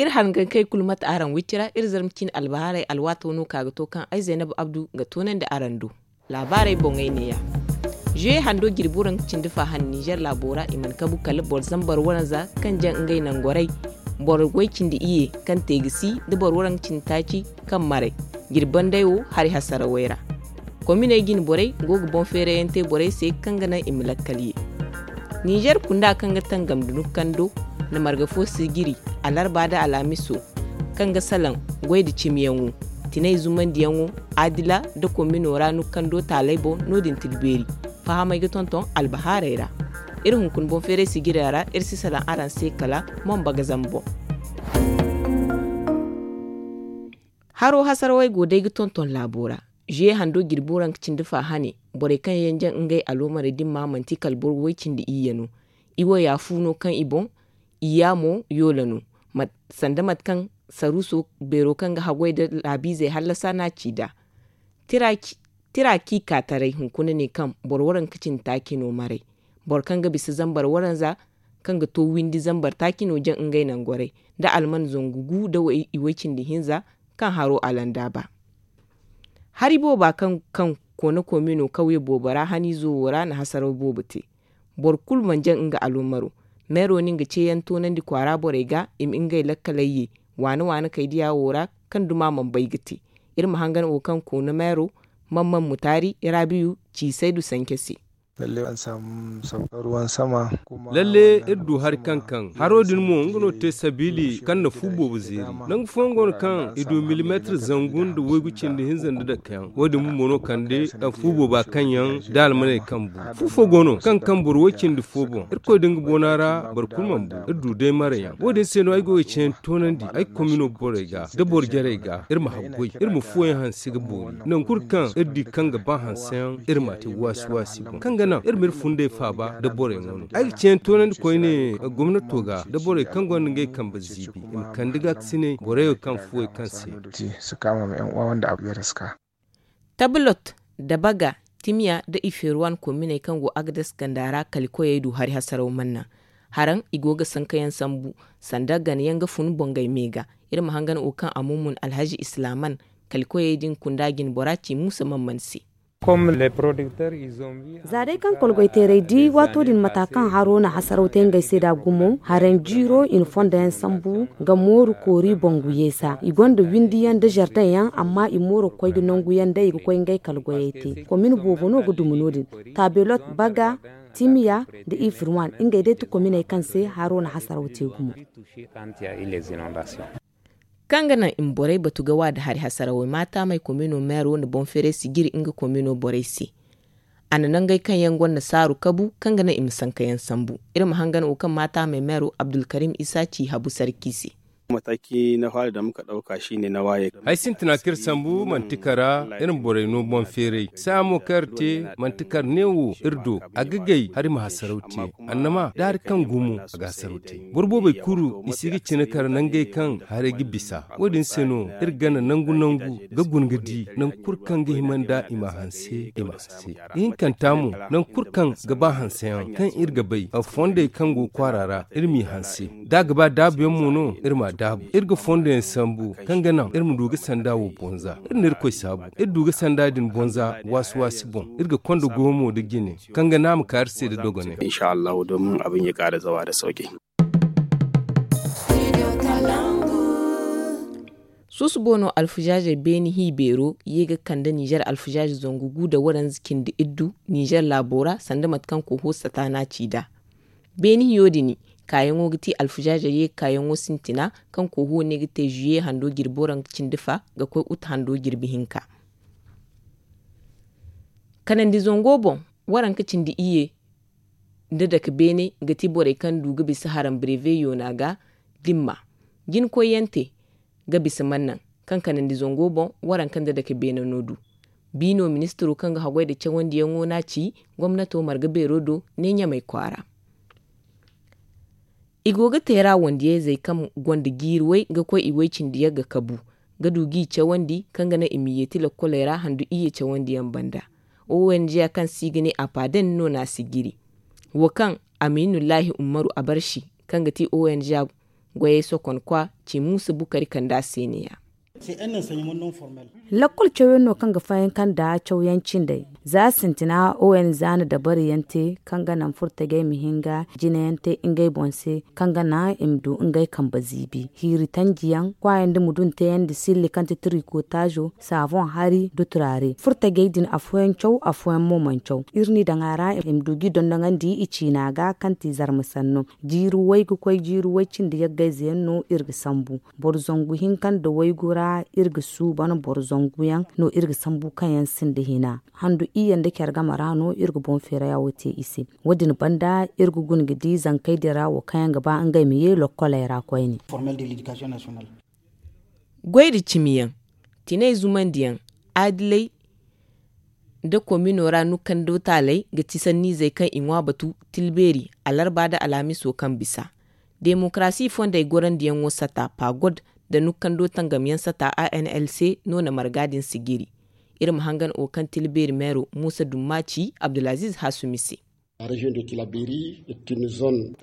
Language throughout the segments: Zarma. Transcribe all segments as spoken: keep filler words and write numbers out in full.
Iri hangankey kulu mate araŋ wicci ra, iri zarma ciine albahaarey alwaato no ka ga to kaŋ ay zaynab abdu ga toonandi araŋ do. Laabaarey boŋey neeya. Zuye hando jirbi waranka cindi fa han nizer laabo ra i mana kabu kala boro zambar waranza kaŋ jaŋ ngey nangorey, boro way cindi iyye kaŋ te ga si, nda boro waranka cindi taaci kaŋ maray. Jirbi banday wo hari hasarawey ra. Kominey jine borey go ga boŋ feerayante borey se kaŋ ga naŋ i ma lakkal ye. Nizer kunda kaŋ ga tangam da nukando na marga fo sijiri, alarba nda alhamiso, kaŋ ga salaŋ goy nda cimiyaŋo, tinay zumandiyaŋo, adila nda komino ra nukando taaley boŋ. No- din tilbeeri fahamey ga tonton albahaarey ra. Iri hunkuna boŋ feeray sijira ra iri si salaŋ araŋ se kala moŋ bagazam boŋ. Haro hasarawey go day ga tonton laabo ra. Zuye hando jirbi waranka cindi fa hane, borey kaŋ yaŋ jaŋ ngey aloomarey dimma manti kala boro way cindi iyye no. I wo yaafu no kaŋ i boŋ, i yaamo yoola no. Sanda mate kaŋ saruuso beero kaŋ ga haggoy nda laabiizey hallasa no a ci nd'a. Tira kaŋ i ka taray hunkuna ne kaŋ boro waranka cindi taaci no maray. Boro kaŋ ga bisa zambar waranza kaŋ ga to windi zambar taaci no jaŋ ngey nangorey, nda alman zangu gu nda i way cindi hinza kaŋ haro alanda ba. Hari booba kaŋ koona komino kawye boobo ra haniizo wo ra na hasaraw boobo te. Boro kulu mana jaŋ nga aloomaro. Meero no nga ceeyaŋ toonandi kwaara borey ga i ma ngey lakkaley ye waana waana kaydiya wo ra, kaŋ duma mana bay ga te. Iri ma hangan wo kaŋ koona meero, man man mutaari raabiyu ci saydu sance se. Lalle iri du hari kaŋ kaŋ haro din mo nga no te sabiili kaŋ na fu boobo zeeri. Nangu fooyaŋ go no kaŋ i du milimeetir zangu nda waygu cindi hinza nda dake yaŋ wo- din bumbo no kande fu booba kaŋ yaŋ da almaney kaŋ bu. Fu fo go no kaŋ kaŋ boro way cindi fo boŋ irkoy da nga boona ra boro kulu mana bu. Iri du day marayaŋ wo- din se no ay go ga ceeyaŋ toonandi ay komino borey ga da boro jarey ga iri ma haggoy iri ma fuwo yaŋ hanse ga boori nangu kulu kaŋ iri di kaŋ ga ba hanseyaŋ iri m'a te waasi waasi boŋ kaŋ ga naŋ iri ma iri fundey faaba da boroyaŋo no. Ay ga ceeyaŋ toonandi koyne gomnato ga da borey kaŋ gonda ngey kambe ziibi i ma kande gaakasiney borey wo kaŋ fuwey kaŋ se. Tablot, dabaga, timiya nda i feeruwan kominey kaŋ go agades ganda ra kali koyey du hari hasaraw manna. Haraŋ i go ga sankayaŋ sambu sanda ganayaŋ ga fun bongey me ga. Iri ma hangan wo kaŋ a mumun alhazi islaman kali koyey din kunda jinbora ci muusa man man se. Za day kaŋ kolgoy teeray di waato din mata kaŋ haro na hasaraw te ngey se da gumo haraŋ jiiro i na fondo yaŋ sambu ga mooru koori boŋ guyeesa i gonda windi yaŋ da zardaŋ yaŋ amma i mooro ga koy ga nangu yaŋ day i ga koy ngey kala goyey te komin boobo no ga duma no- din. Tabelot, baga, timiya, nda ifirwan ngey day ti kominey kaŋ se haro na hasaraw te gumo. Kaŋ ga naŋ i ma borey batu ga wa nda hari hasarawey maataamey komino meero nda boŋ feeray sijiri nga komino borey se. A na nangey kaŋ yaŋ gonda saaru kabu kaŋ ga naŋ i ma sanka yaŋ sambu. Iri ma hangan wo kaŋ maataamey meero abdulkarim isa ci habu sarki se. Hay sintina kaŋ iri sambu manti kara iri ma borey no boŋ feeray saaya mo kaŋ iri te manti kara neewo iri do a ga gay hari ma hasaraw te. Annama da hari kaŋ gumo a ga hasaraw te. Boro boobey kulu i si ga cine kara nangey kaŋ haray ga bisa. Wo- din se no iri gana nangu nangu ga guna ga di nangu kulu kaŋ ga hima nda i ma hanse i ma hanse. Ihinkanta mo nangu kulu kaŋ ga ba hanseyaŋ kaŋ iri ga bay fondey kaŋ go kwaara ra iri m'i hanse. Da a ga ba daabuyaŋ mo no iri m'a daabu iri ga fondoyaŋ sambu kaŋ ga naŋ iri ma du ga sanda wo bonza iri na irkoy saabu. Iri du ga sanda din bonza waasi waasi boŋ iri ga konda goyo mo nda jine kaŋ ga naŋ a ma ka iri se nda dogonay. Suusubo no alfuzaazey beene hi beero ye ga kande nizer alfuzaaze zangu gu nda waranza cindi iddu nizer laabo ra sanda mate kaŋ koho sata no a ci nd'a. Beene hiyo din kaayaŋo ga ti alfuzaazey ye ga kaayaŋo sintina kaŋ koho ne ga te zuye hando jirbi waranka cindi fa ga koy ut hando jirbi hinka. Kanandi zango boŋ waranka cindi iyye nda dake beene ga ti borey kaŋ du ga bisa haram breve yoona ga dimma. Jinkoyyaŋ te ga bisa mannaŋ kaŋ kanandi zango boŋ waranka nda dake beene no du. Biino ministiro kaŋ ga haggoy nda cawandiyaŋo no a ci gomnato marga beero do ne ɲamay kwaara. I go ga teera wandiyayzey kaŋ gonda jiiri way ga koy i way cindi yagga kabu ga du g'i cawandi kaŋ ga naŋ i ma yeeti lakkoley ra handu iyye cawandiyaŋ banda. Ong kaŋ se i ga ne apaden no no a si jiri. Wo kaŋ aminullahi ummaru abarsi kaŋ ga ti ong Goyey sokonkwa ci muusa bukari kanda se ne-ya. Lakkol cawyaŋ no kaŋ ga fayanka nda cawyaŋ cindey. Za sintina o n za na dabariyaŋ te kaŋ ga naŋ furtajey ma hin ga jinayaŋ te ngey boŋ se, kaŋ ga naŋ i ma du ngey kambe ziibi hiiri tanjiyaŋ kwaayaŋ da mudun teeyaŋ da silli kaŋ ti tirikotaazo, saaboŋ hari da turaare furtajey din afooyaŋ caw afooyaŋ mo mana caw. Iri n'i daŋ a ra i ma du g'i dondoŋandi i ciina ga kaŋ ti zarma sanno. Jiiri way ga koy jiiri way cindi yaggayze yaŋ no iri ga sambu. Boro zangu hinka nda waygu ra iri ga suuban boro zangu yaŋ no iri ga sambu kaŋ yaŋ sinda hina. Handu iyye nda care game ra no iri ga boŋ feerayaŋo te i se. Wo- din banda iri ga guna ga di zankey din ra wo kaŋ yaŋ ga ba ngey ma ye lokkoley ra koyne. Goy nda cimiyaŋ, tinay zumandiyaŋ, aadilay nda komino ra nukkando taaley ga ti sanniizey kaŋ i ŋwa batu tilbeeri alarba nda alhamiso kaŋ bisa. Demokarasi fondey gorandiyaŋo sata pagod nda nukkando tangamyaŋ sata anlc no na marga din sijiri. Iri ma hangan wo kaŋ tilbeeri meero muusa dumma ci abdulaziiz hasumi se.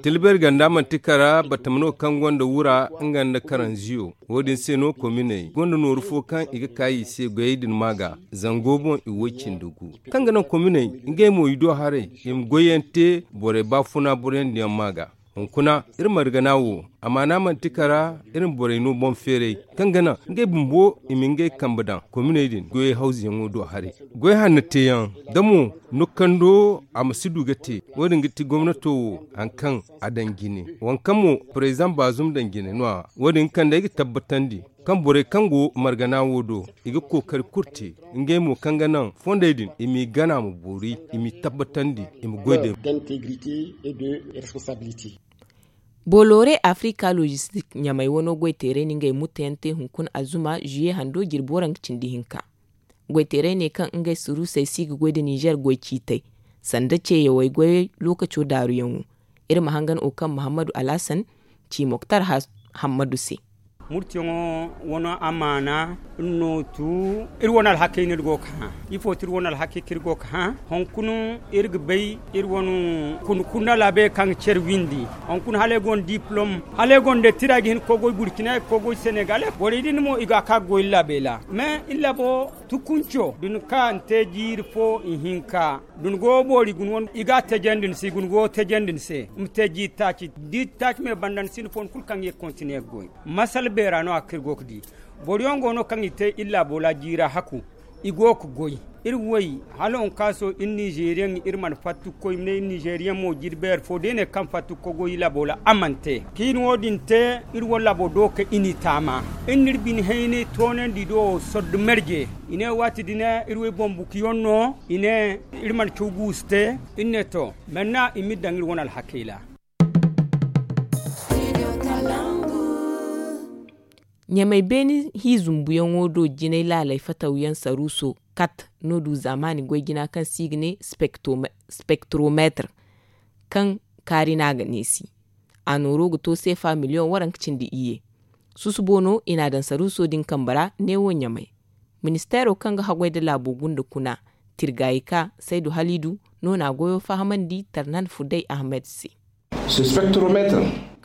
Tilbeeri ganda manti kara batama no kaŋ gonda wura nga nda karanziyo. Wo- din se no kominey gonda nooru fo kaŋ i ga ka i se goyey din ma ga zango boŋ i woy cindi gu kaŋ ga naŋ kominey ngey mo i do haray i ma goyyaŋ te borey baafuna boroyaŋ diyaŋ ma ga. Hunkuna iri margana wo amaana manti kara iri ma borey no boŋ feeray kaŋ ga naŋ ngey bumbo i ma ngey kambe daŋ kominey din goyey hawzuyaŋo do haray. Goy hanno teeyaŋ da mo nukkando a ma si du ga te. Wo- din ga ti gomnato wo hari kaŋ a daŋ jine waŋ kaŋ mo parezidaŋ baazum daŋ jine no- ya wo- din ga kande ay ga tabbatandi kaŋ borey kaŋ go margana wo do i ga kookari kulu te. Ngey mo kaŋ ga naŋ fondey din i m'i gana ma boori i m'i tabbatandi i ma goy day. Booloore afrika logistik ɲamey wano goy teeray na ngey mutteyaŋ te hunkuna azuma ziye hando jirbi waranka cindi hinka. Goy teeray ne kaŋ ngey suruusey si ga goy nda nizer goy ciitey sanda ceeyawey goyey lookaco daaruyaŋo. Iri ma hangan wo kaŋ muhammadu alhasan ci moktar hammadu se. Murtiyaŋo wano amaana iri no tu iri wane alhakey no iri go ga hã. Ifo ti iri wane alhakey kaŋ iri go ga hã? Hunkuna iri ga bay iri wane kuna kuna laabey kaŋ ga care windi hunkuna hala ay gonda diplom hala ay gonda tira ay ga hin ga koy goy burkina ay ga koy goy senegal borey din mo i ga a ka ga goy iri laabey ra. Mais iri laabo tukunco da ni ka ni te jiiri fo ihinka da ni go boori guna wane i ga a tajandi ni se i guna go tajandi ni se ma te jiiri taaci da i taaci me banda ni sinda fo ni kulu kaŋ ga ye ga kontine ga goy. Masala beera no- ya kaŋ iri go ga di boro yaŋ go no kaŋ i te iri laabo ra jiira haku i go ga goy. Iri woy hala waŋ kaŋ a so iri nizeriyaŋ iri mana fatta ga koy i ma ne iri nizeriyaŋ mo jirbeeri fo da i ne kaŋ fatta ga koy goy iri laabo ra a mana te. Kaŋ i na wo- din te iri wane laabo do ga kay i n'i taama. Iri na iri bine haynay toonandi do sordo marje i ne waati din iri wo iri boŋ bukuyaŋ no i ne iri mana caw guusu te. Iri ne to manna i m'iri daŋ iri wane alhakey ra. Ɲamey beene hi zumbuyaŋo do jinay laaley fatawyaŋ saruuso kat no du zaamaani goy jina kaŋ se i ga ne spektromeetar kaŋ kaari no a ga neesi. A nooro ga to seefa miliyoŋ waranka cindi iyye. Susubo no i n'a daŋ saruuso din kambe ra neewo ɲamey. Ministeero kaŋ ga haggoy nda laabo gunda kuna tirgaayi ka saydu haliidu no na a goyo fahamandi tarnan fuday ahmed se.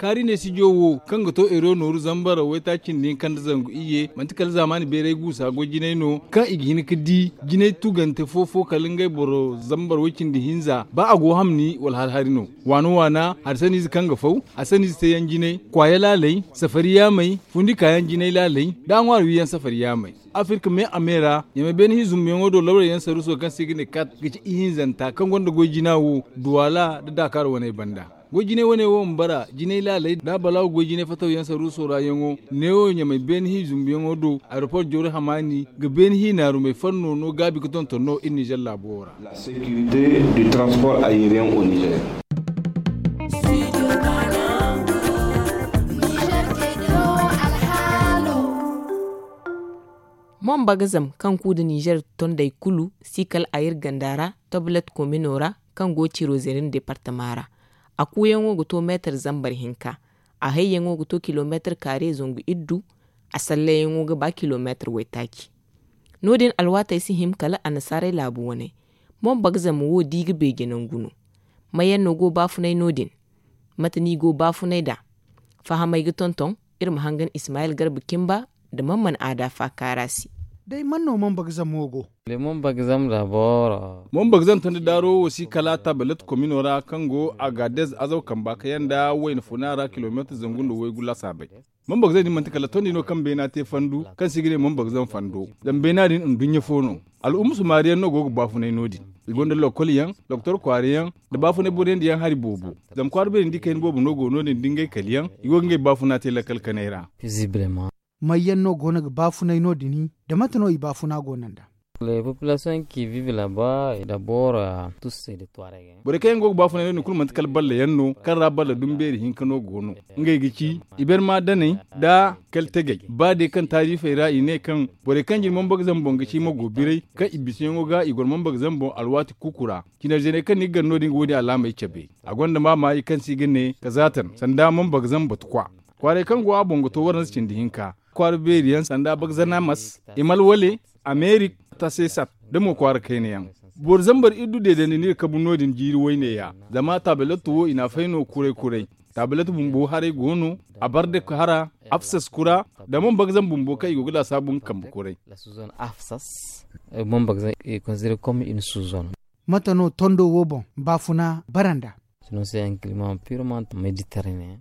Kaari neesijo wo kaŋ ga to ero nooru zambar waytaaci nda hinka nda zangu iyye manti kala zaamaani beeray guusa goy jinay no kaŋ i ga hin ga di jinay tugante fo-fo kala ngey boro zambar way-cindi hinza ba a go hamni wala hari-hari no. Waana-waana hari saniize kaŋ ga faw hari saniize teeyaŋ jinay kwaaya laaley safari yaamey fundi kaayaŋ jinay laaley nda a ŋwaari wiiyaŋ safari yaamey. Afirka me a me ra ɲamey beene hinzumbuyaŋo do lawray yaŋ saruuso kaŋ se i ga ne kat ga ci ihinzanta kaŋ gonda goy jina wo duwaala nda daakaar waney banda. Goy jinay wane wo ma bara jinay laaley nda a balaawo goy jinay fatawyaŋ saruuso ra yaŋo neewo ɲamey beene hinzumbuyaŋo do aeroport jawri hamaani ga beene hi naarumey fanno no gaabi ga tonton no iri nizer laabo wo ra. Mombagazam kaŋ ku nda nizer tondey kulu si kala a iri ganda ra toblet komino ra kaŋ go tirozerin departama ra. A kuuyaŋo ga to meetar zambar hinka. A hayyaŋo ga to kilomeetar kaare zangu iddu. A sallayaŋo ga ba kilomeetar waytaaci. No- din alwaatey si hima kala annasaarey laabu waney. Mombagazam wo da i ga beeje nangu no. Mayaŋ no go baafunay no- din? Mate no i go baafunay nd'a? Fahamey ga tonton, iri ma hangan ismayil garba kimba nda man mana aada faakaara se. Day man no mambagzamo go? Mambagzam da booro. Mambagzam tanda daaro wo si kala tabalet komino ra kaŋ go a ga dez azaw kamba kayaŋ nda wayna funa ra kilomeetar zangu nda waygu lasaabey. Mambagzam din manti kala tondi no kaŋ beena te fandu kaŋ se i ga ne mambagzam fando. Zama beena din nduɲɲa fo no. Al'umma sumaari yaŋ no go ga baafunay no- din. I gonda lokol yaŋ, doktor kwaara yaŋ, nda baafunay boro yaŋ da yaŋ hari boobo. Zama kwaara beeri nda i kayna boobo no go no- din da ngey kali yaŋ i go ga ngey baafuna te lakkal kanay ra. May yaŋ no go no ga baafunay no- din? Da mate no i baafuna go no nd'a? Borey kaŋ yaŋ go ga baafunay no- din kulu manti kala balla yaŋ no kaŋ ra balla dumbeeri hinka no go no. Ngey ga ci, iberma daney nda kaltegey ba day kaŋ taariifey ra i ne kaŋ borey kaŋ jin mambagzam boŋ ga ci mago biray kaŋ i bisayaŋo ga i goro mambagzam boŋ alwaati kuuku ra. Cinarzeney kaŋ ni ga gar no- din ga wo- din alaamey cabe. A gonda maamaayi kaŋ se i ga ne kazaatan sanda mambagzam batukwa. Kwaaray kaŋ go a boŋ ga to waranza cindi hinka kwaara beeri yaŋ sanda bagzanamas, imalwale, amerik, tasesat, da mo kwaara kayna yaŋ. Boro zambar iddu deedandi no iri kabu no- din jiiri wayne ya. Zama taabilattu wo i n'a fay no kuray kuray. Taabilattu bumbo haray go no, a bar da hara, afsas kura, da man bagzam bumbo kaŋ i go ga laasaabu nga kambe kuray. Mate no tondo wo boŋ baafuna bara nd'a?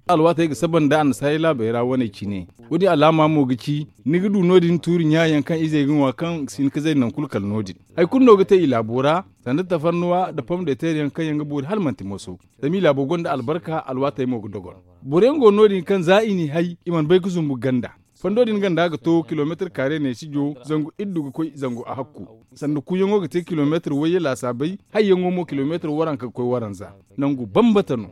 Alwaatey ga saba nda annasaarey laabey ra wane cine. Wo- din alaama mo ga ci ni ga du no- din tuuri ɲaayaŋ kaŋ izey ga ŋwa kaŋ si hin ga zay nangu kulu kala no- din. Hari kulu no ga te i laabo ra, sanda tafarnuwa nda pomdeter yaŋ kaŋ yaŋ ga boori hala manti moso. Zama i laabo gonda albarka, alwaatey mo ga dogon. Boro yaŋ go no- din kaŋ za i n'i hay i mana bay ga zumbu ganda. Fondo din ganda ga to kilomeetar kaare neesijo zangu iddu ga koy zangu a hakku. Sanda kuuyaŋo ga te kilomeetar wayye laasaabey, hayyaŋo mo kilomeetar waranka ga koy waranza. Nangu bambata no.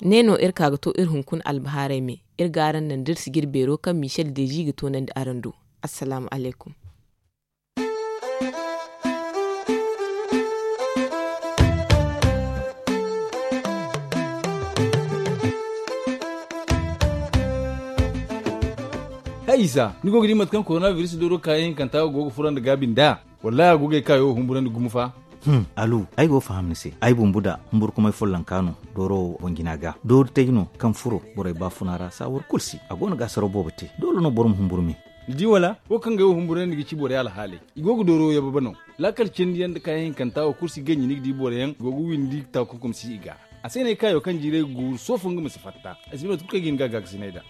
Ne no iri ka ga to iri hunkuna albahaarey me. Iri ga araŋ naŋ da iri sijir beero kaŋ michel deezi ga toonandi araŋ do. Assalaamu alaykum. Hay isa, ni go ga di mate kaŋ koronabiris dooro kaayaŋ hinkanta go ga furo nda gaabi nd'a? Wallaahi a go ga ay kaayo humburandi gumo fa. Alu, ay go ga faham ni se. Ay bumbu da humburkumay follonka no dooro boŋ jina ga. Doori tay no kaŋ furo borey baafuna ra saawar kulu se. A go no ga asaraw boobo te. Doole no boro ma humburu me. Ni di wala? Wo kaŋ ga ay wo humburandi ga ci borey alhaaley. I go ga dooro yababe no. Laakal cindi yaŋ nda kaayaŋ hinkanta wo kulu si ganji ni ga di boro yaŋ go ga windi taakunkum si i ga. A se no ay kaayo kaŋ jiiray ga guuru soofo nga ma si fatta. Ay si bay mate kulu kaŋ ay ga hin ga a gaakasinay nd'a.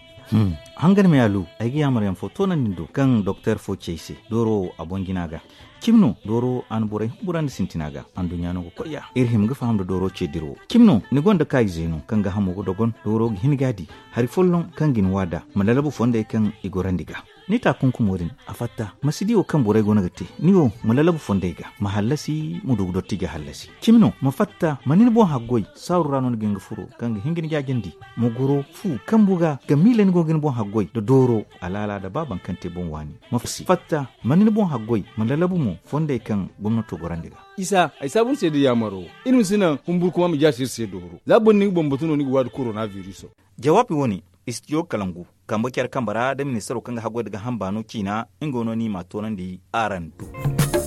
Hangan me alu, ay ga yaamar yaŋ fo toonandi ni do kaŋ doktor fo ci ay se dooro wo a boŋ jina ga. Cimi no dooro a na borey humburandi sintina ga. Anduɲɲa no ga koy ya iri hima ga faham nda dooro ce dirawo. Cimi no ni gonda kaayizey no kaŋ ga hamo ga dogon dooro ga hin ga a di. Hari folloŋ kaŋ ga ni waada ma lalabu fondey kaŋ i gorandi ga. Ni taakunkumo din a fatta ma si di wo kaŋ borey go no ga te. Ni wo ma lalabu fondey ga ma hallasi ma du ga dotti ga hallasi. Cimi no ma fatta ma ni ni boŋ haggoy saaru ra no ni ga hin ga furo kaŋ ga hin ga ni jaajandi. Ma goro fu kambu ga ga miila ni go ga ni boŋ haggoy nda dooro alaala nda ba baŋ kaŋ te boŋ waani. Ma si fatta ma ni ni boŋ haggoy ma lalabu mo fondey kaŋ gomnato gorandi ga. Isa ay saabu ni se da yaamaro. Iri ma si naŋ humburkuma ma jaasi iri se dooro za boro ni ga bambatu no ni ga waadi korona biriso. Jawaabi wo-ne istijo kalangu kambe care kambe ra da ministaro kaŋ ga haggoy nda ga hamba no ciina. Nga wo no ni m'a toonandi araŋ do.